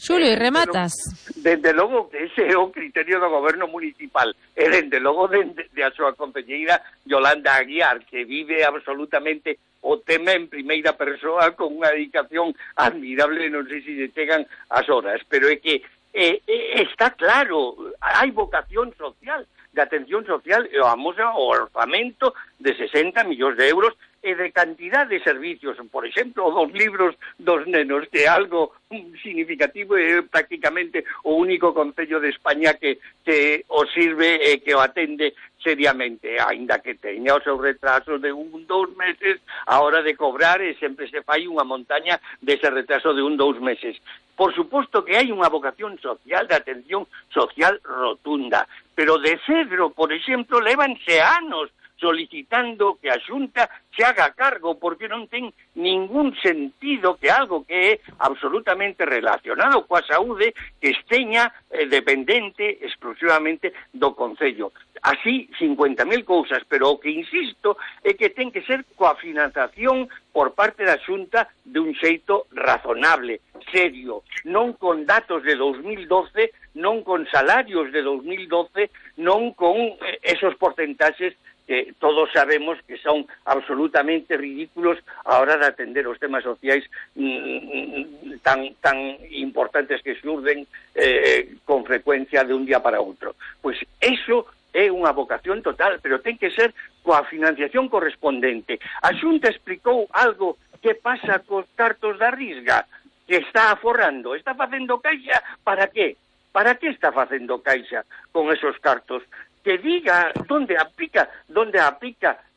Xulio, e rematas? Dende logo que ese é o criterio do goberno municipal, e dende logo de a súa concelleira Yolanda Aguiar, que vive absolutamente o tema en primeira persoa con unha dedicación admirable, non sei se lle chegan as horas, pero é que está claro, hai vocación social, de atención social, e vamos ao orzamento de 60 millóns de euros e de cantidad de servicios, por exemplo, dos libros dos nenos, que é algo significativo, é prácticamente o único concello de España que o sirve e que o atende seriamente, aínda que teña o seu retraso de 1-2 meses a hora de cobrar, e sempre se fai unha montaña dese retraso de 1-2 meses. Por suposto que hai unha vocación social, de atención social rotunda, pero de Cedro, por exemplo, lévanse anos solicitando que a Xunta se haga cargo, porque non ten ningún sentido que algo que é absolutamente relacionado coa saúde que esteña dependente exclusivamente do Concello. Así, 50.000 cousas, pero o que insisto é que ten que ser coa financiación por parte da Xunta de un xeito razonable, serio, non con datos de 2012, non con salarios de 2012, non con esos porcentaxes que todos sabemos que son absolutamente ridículos a hora de atender os temas sociais tan importantes que xurden con frecuencia de un día para outro. Pois eso é unha vocación total, pero ten que ser coa financiación correspondente. A Xunta explicou algo que pasa cos cartos da Risga, que está aforrando, está facendo caixa, para qué? Para que está facendo caixa con esos cartos? Que diga onde aplica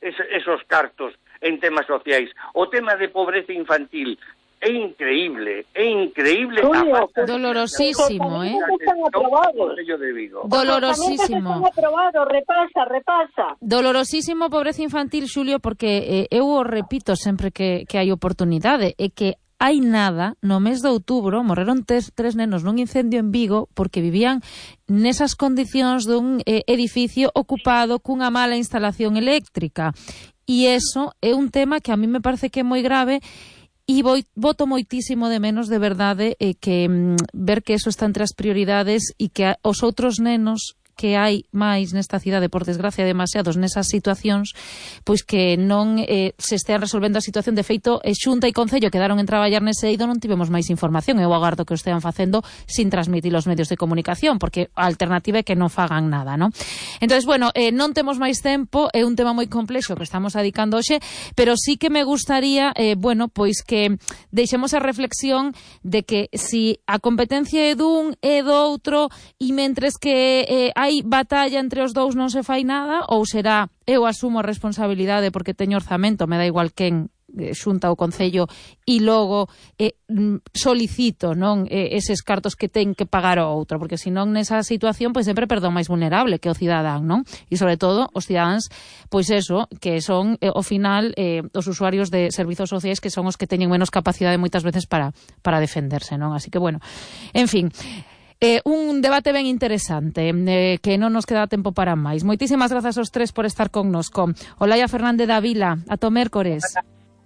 esos cartos en temas sociais. O tema de pobreza infantil é increíble. Julio, dolorosísimo, Dolorosísimo. Repasa. Dolorosísimo pobreza infantil, Xulio, porque eu o repito sempre que hai oportunidade, é que hai nada, no mes de outubro, morreron tres nenos nun incendio en Vigo porque vivían nesas condicións dun edificio ocupado cunha mala instalación eléctrica. E eso é un tema que a mí me parece que é moi grave, e voto moitísimo de menos, de verdade, que ver que eso está entre as prioridades e que os outros nenos que hai máis nesta cidade, por desgracia, demasiados nesas situacións, pois que non se estean resolvendo a situación. De feito, Xunta e Concello quedaron en traballar nese eido, non tivemos máis información. Eu agardo que o estean facendo sin transmitir os medios de comunicación, porque a alternativa é que non fagan nada, non? Entonces, bueno, non temos máis tempo, é un tema moi complexo que estamos dedicando hoxe, pero sí que me gustaría, bueno, pois que deixemos a reflexión de que si a competencia é dun e do outro e mentres que hai batalla entre os dous non se fai nada, ou será eu asumo a responsabilidade porque teño orzamento, me dá igual quen, Xunta ou Concello, e logo solicito, non, eses cartos que ten que pagar o outro, porque senón nesa situación pois sempre perdón máis vulnerable que o cidadán, non? E sobre todo os cidadáns, pois eso, que son ao final os usuarios de servizos sociais, que son os que teñen menos capacidade moitas veces para defenderse, non? Así que bueno, en fin, un debate ben interesante, que non nos queda tempo para máis. Moitísimas grazas aos tres por estar connosco. Olaia Fernández Davila, ata o mércores.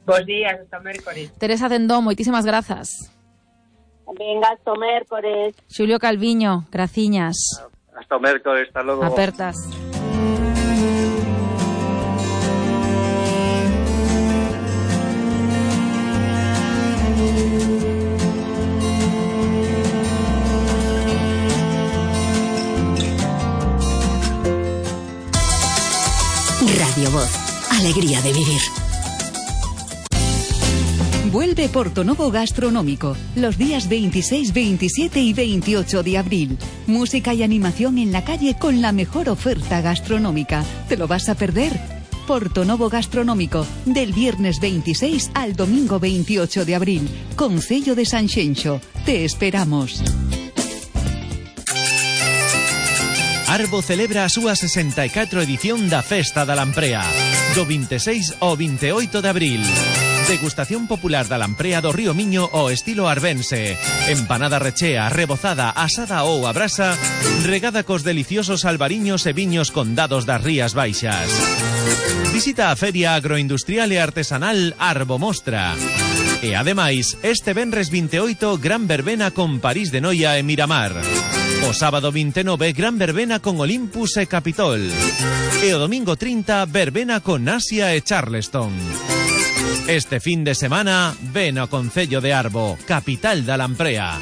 Bos días, hasta o mércores. Teresa Cendón, moitísimas grazas. Venga, hasta o mércores. Xulio Calviño, graciñas. Hasta o mércores, hasta logo. Apertas. Radio Voz, alegría de vivir. Vuelve Portonovo Gastronómico los días 26, 27 y 28 de abril. Música y animación en la calle con la mejor oferta gastronómica. ¿Te lo vas a perder? Portonovo Gastronómico, del viernes 26 al domingo 28 de abril. Concello de Sanxenxo. Te esperamos. Arbo celebra a súa 64 edición da Festa da Lamprea, do 26 ao 28 de abril. Degustación popular da lamprea do Río Miño ao estilo arbense. Empanada rechea, rebozada, asada ou a brasa, regada cos deliciosos albariños e viños condados das Rías Baixas. Visita a Feria Agroindustrial e Artesanal Arbo Mostra. E ademais, este venres 28, gran verbena con París de Noia e Miramar. O sábado 29, gran verbena con Olympus e Capitol. E o domingo 30, verbena con Asia e Charleston. Este fin de semana, ven ao Concello de Arbo, capital da Lamprea.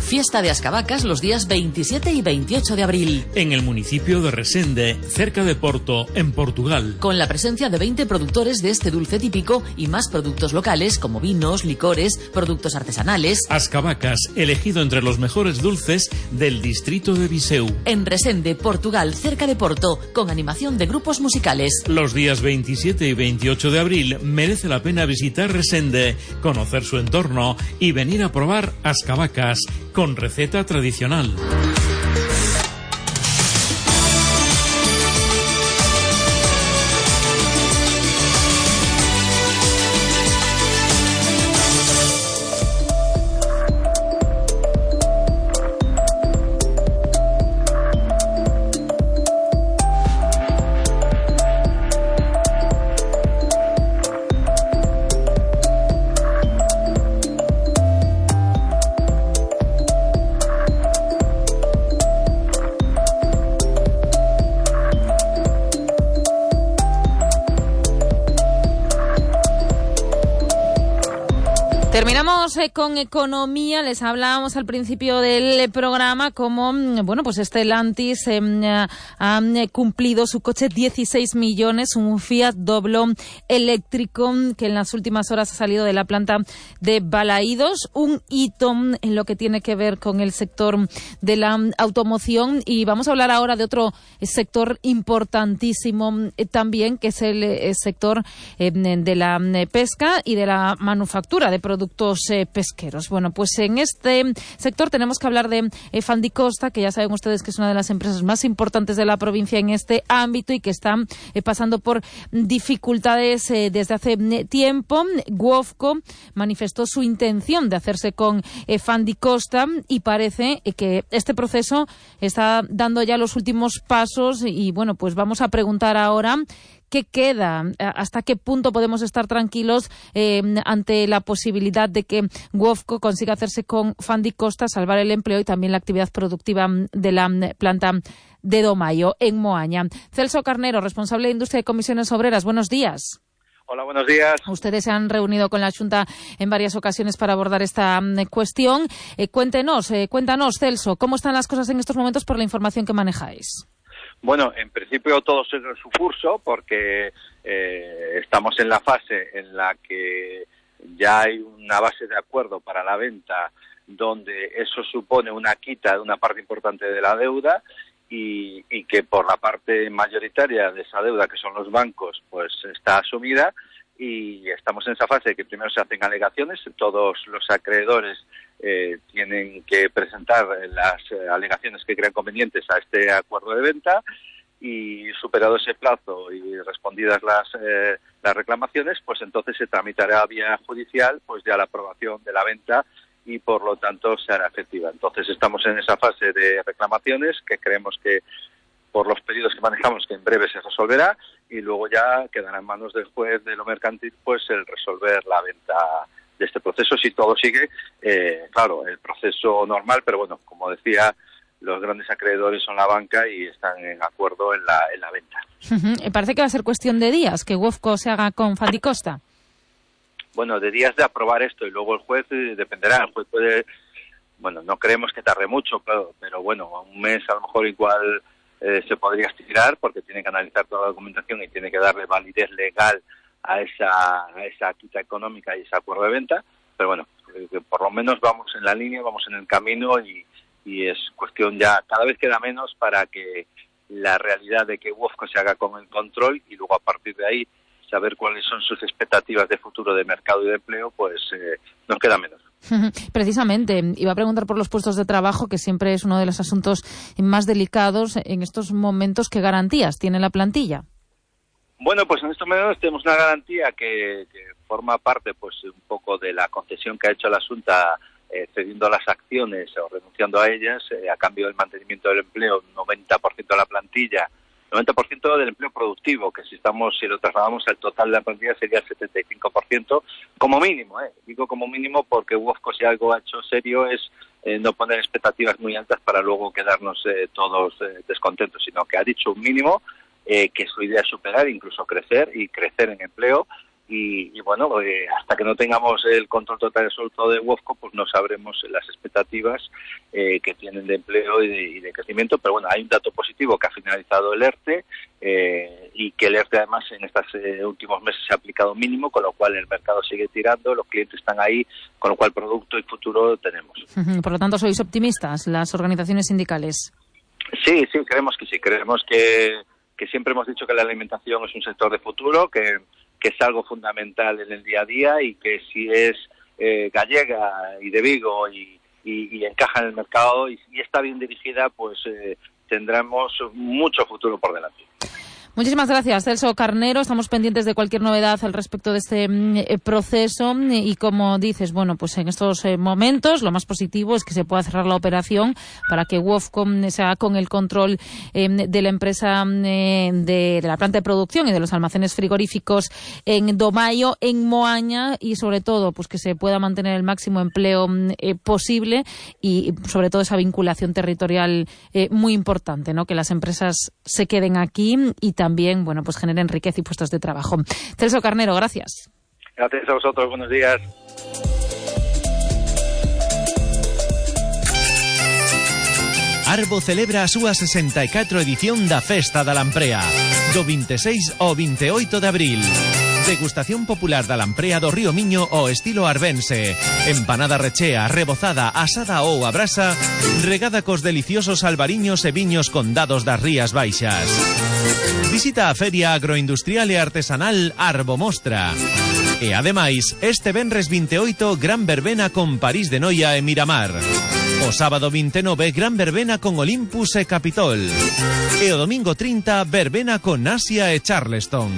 Fiesta de Ascabacas los días 27 y 28 de abril. En el municipio de Resende, cerca de Porto, en Portugal. Con la presencia de 20 productores de este dulce típico y más productos locales como vinos, licores, productos artesanales. Ascabacas, elegido entre los mejores dulces del distrito de Viseu. En Resende, Portugal, cerca de Porto, con animación de grupos musicales. Los días 27 y 28 de abril merece la pena visitar Resende, conocer su entorno y venir a probar Ascabacas con receta tradicional. Terminamos con economía. Les hablábamos al principio del programa como, bueno, pues Stellantis ha cumplido su coche 16 millones, un Fiat Doblo eléctrico que en las últimas horas ha salido de la planta de Balaídos, un hito en lo que tiene que ver con el sector de la automoción. Y vamos a hablar ahora de otro sector importantísimo también, que es el sector de la pesca y de la manufactura de productos pesqueros. Bueno, pues en este sector tenemos que hablar de Fandicosta, que ya saben ustedes que es una de las empresas más importantes de la provincia en este ámbito y que están pasando por dificultades desde hace tiempo. Guofco manifestó su intención de hacerse con Fandicosta y parece que este proceso está dando ya los últimos pasos y bueno, pues vamos a preguntar ahora ¿Qué queda? ¿Hasta qué punto podemos estar tranquilos ante la posibilidad de que Wofco consiga hacerse con Fandicosta, salvar el empleo y también la actividad productiva de la planta de Domayo en Moaña? Celso Carnero, responsable de Industria y Comisiones Obreras, buenos días. Hola, buenos días. Ustedes se han reunido con la Xunta en varias ocasiones para abordar esta cuestión. Cuéntanos, Celso, ¿cómo están las cosas en estos momentos por la información que manejáis? Bueno, en principio todo sigue su curso porque estamos en la fase en la que ya hay una base de acuerdo para la venta donde eso supone una quita de una parte importante de la deuda y que por la parte mayoritaria de esa deuda, que son los bancos, pues está asumida, y estamos en esa fase de que primero se hacen alegaciones. Todos los acreedores tienen que presentar las alegaciones que crean convenientes a este acuerdo de venta, y superado ese plazo y respondidas las reclamaciones, pues entonces se tramitará vía judicial pues ya la aprobación de la venta y por lo tanto se hará efectiva. Entonces estamos en esa fase de reclamaciones que creemos que por los pedidos que manejamos que en breve se resolverá, y luego ya quedará en manos del juez de lo mercantil pues el resolver la venta de este proceso si todo sigue, claro, el proceso normal, pero bueno, como decía, los grandes acreedores son la banca y están en acuerdo en la venta. Parece que va a ser cuestión de días que Wofco se haga con Fandicosta. Bueno, de días de aprobar esto, y luego el juez dependerá. El juez puede, bueno, no creemos que tarde mucho, pero bueno, un mes a lo mejor igual se podría estirar porque tiene que analizar toda la documentación y tiene que darle validez legal a esa quita económica y ese acuerdo de venta. Pero bueno, que por lo menos vamos en la línea, vamos en el camino y es cuestión ya, cada vez queda menos para que la realidad de que Wofco se haga con el control y luego a partir de ahí saber cuáles son sus expectativas de futuro de mercado y de empleo, pues nos queda menos. Precisamente, iba a preguntar por los puestos de trabajo, que siempre es uno de los asuntos más delicados en estos momentos. ¿Qué garantías tiene la plantilla? Bueno, pues en estos momentos tenemos una garantía que forma parte pues un poco de la concesión que ha hecho la Xunta cediendo las acciones o renunciando a ellas a cambio del mantenimiento del empleo, 90% de la plantilla, 90% del empleo productivo, que si lo trasladamos al total de la plantilla sería el 75% como mínimo. Digo como mínimo porque Wofco, si algo ha hecho serio, es no poner expectativas muy altas para luego quedarnos todos descontentos, sino que ha dicho un mínimo, que su idea es superar, incluso crecer en empleo. Y bueno, hasta que no tengamos el control total y absoluto de Wofco, pues no sabremos las expectativas que tienen de empleo y de crecimiento. Pero bueno, hay un dato positivo, que ha finalizado el ERTE y que el ERTE además en estos últimos meses se ha aplicado mínimo, con lo cual el mercado sigue tirando, los clientes están ahí, con lo cual producto y futuro tenemos. Por lo tanto, ¿sois optimistas, las organizaciones sindicales? Sí, creemos que sí. Creemos que siempre hemos dicho que la alimentación es un sector de futuro, que es algo fundamental en el día a día, y que si es gallega y de Vigo y encaja en el mercado y está bien dirigida, pues tendremos mucho futuro por delante. Muchísimas gracias, Celso Carnero. Estamos pendientes de cualquier novedad al respecto de este proceso y, como dices, bueno, pues en estos momentos lo más positivo es que se pueda cerrar la operación para que Wofco se haga con el control de la empresa de la planta de producción y de los almacenes frigoríficos en Domayo, en Moaña, y sobre todo pues que se pueda mantener el máximo empleo posible y sobre todo esa vinculación territorial muy importante, ¿no? Que las empresas se queden aquí y también, bueno, pues generen riqueza y puestos de trabajo. Celso Carnero, gracias. Gracias a vosotros, buenos días. Arbo celebra a súa 64 edición da Festa da Lamprea, do 26 ao 28 de abril. Degustación popular da lamprea do Río Miño ao estilo arbense. Empanada rechea, rebozada, asada ou a brasa, regada cos deliciosos albariños e viños condados das Rías Baixas. Visita a Feria Agroindustrial e Artesanal Arbo Mostra. E ademais, este venres 28, gran verbena con París de Noia e Miramar. O sábado 29, gran verbena con Olympus e Capitol. E o domingo 30, verbena con Asia e Charleston.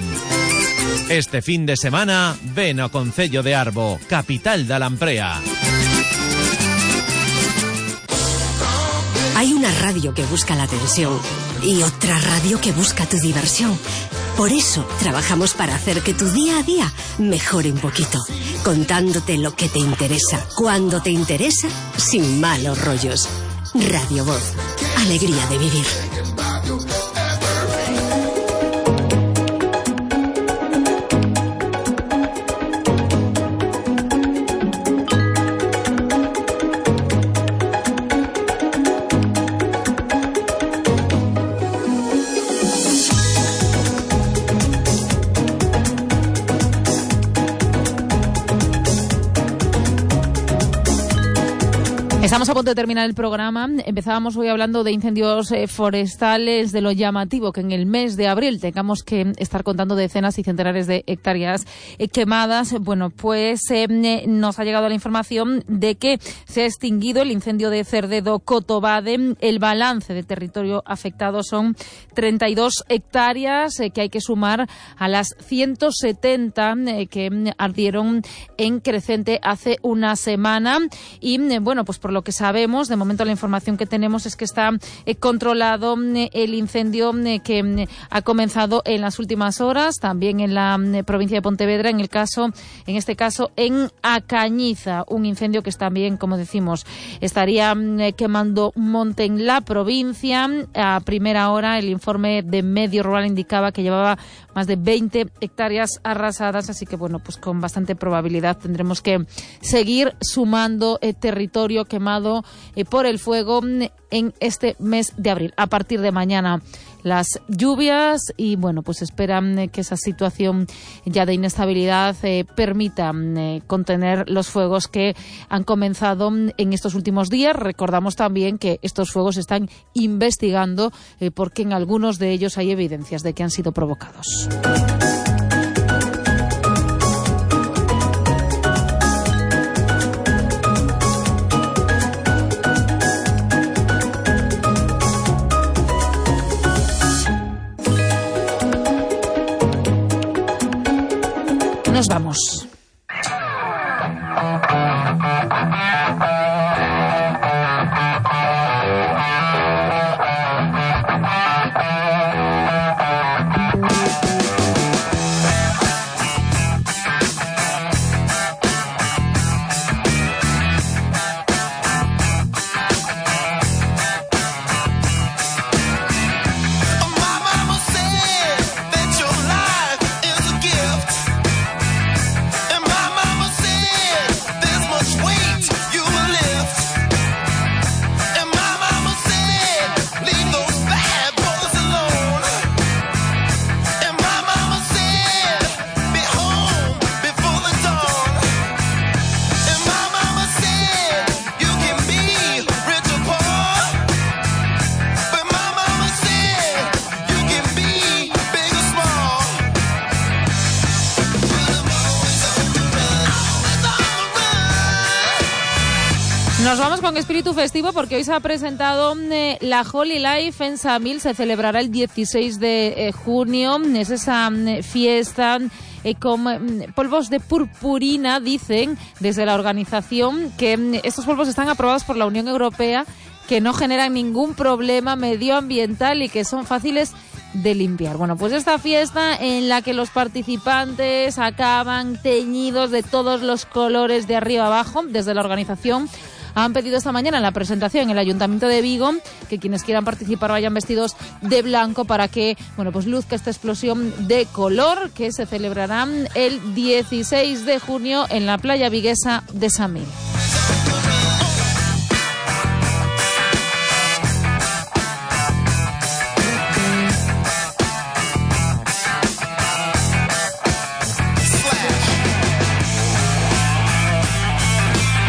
Este fin de semana, ven ao Concello de Arbo, capital da Lamprea. Hay una radio que busca la atención y otra radio que busca tu diversión. Por eso trabajamos para hacer que tu día a día mejore un poquito, contándote lo que te interesa, cuando te interesa, sin malos rollos. Radio Voz, alegría de vivir. Estamos a punto de terminar el programa. Empezábamos hoy hablando de incendios forestales, de lo llamativo que en el mes de abril tengamos que estar contando decenas y centenares de hectáreas quemadas. Bueno, pues nos ha llegado la información de que se ha extinguido el incendio de Cerdedo-Cotobade. El balance de territorio afectado son 32 hectáreas que hay que sumar a las 170 que ardieron en Crecente hace una semana. Y bueno, pues por lo que sabemos, de momento la información que tenemos es que está controlado el incendio que ha comenzado en las últimas horas, también en la provincia de Pontevedra, en este caso en Acañiza, un incendio que también, como decimos, estaría quemando un monte en la provincia. A primera hora el informe de Medio Rural indicaba que llevaba más de 20 hectáreas arrasadas, así que bueno, pues con bastante probabilidad tendremos que seguir sumando territorio quemado por el fuego en este mes de abril. A partir de mañana las lluvias y bueno, pues esperan que esa situación ya de inestabilidad permita contener los fuegos que han comenzado en estos últimos días. Recordamos también que estos fuegos se están investigando porque en algunos de ellos hay evidencias de que han sido provocados. Nos vamos. Nos vamos con espíritu festivo porque hoy se ha presentado la Holy Life en Samil. Se celebrará el 16 de junio. Es esa fiesta con polvos de purpurina, dicen desde la organización que estos polvos están aprobados por la Unión Europea, que no generan ningún problema medioambiental y que son fáciles de limpiar. Bueno, pues esta fiesta en la que los participantes acaban teñidos de todos los colores de arriba abajo, desde la organización han pedido esta mañana en la presentación en el Ayuntamiento de Vigo que quienes quieran participar vayan vestidos de blanco para que, bueno, pues luzca esta explosión de color que se celebrará el 16 de junio en la playa viguesa de Samil.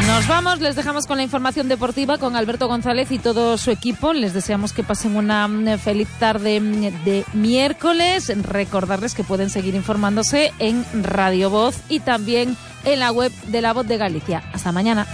Nos vamos, les dejamos con la información deportiva con Alberto González y todo su equipo. Les deseamos que pasen una feliz tarde de miércoles. Recordarles que pueden seguir informándose en Radio Voz y también en la web de La Voz de Galicia. Hasta mañana.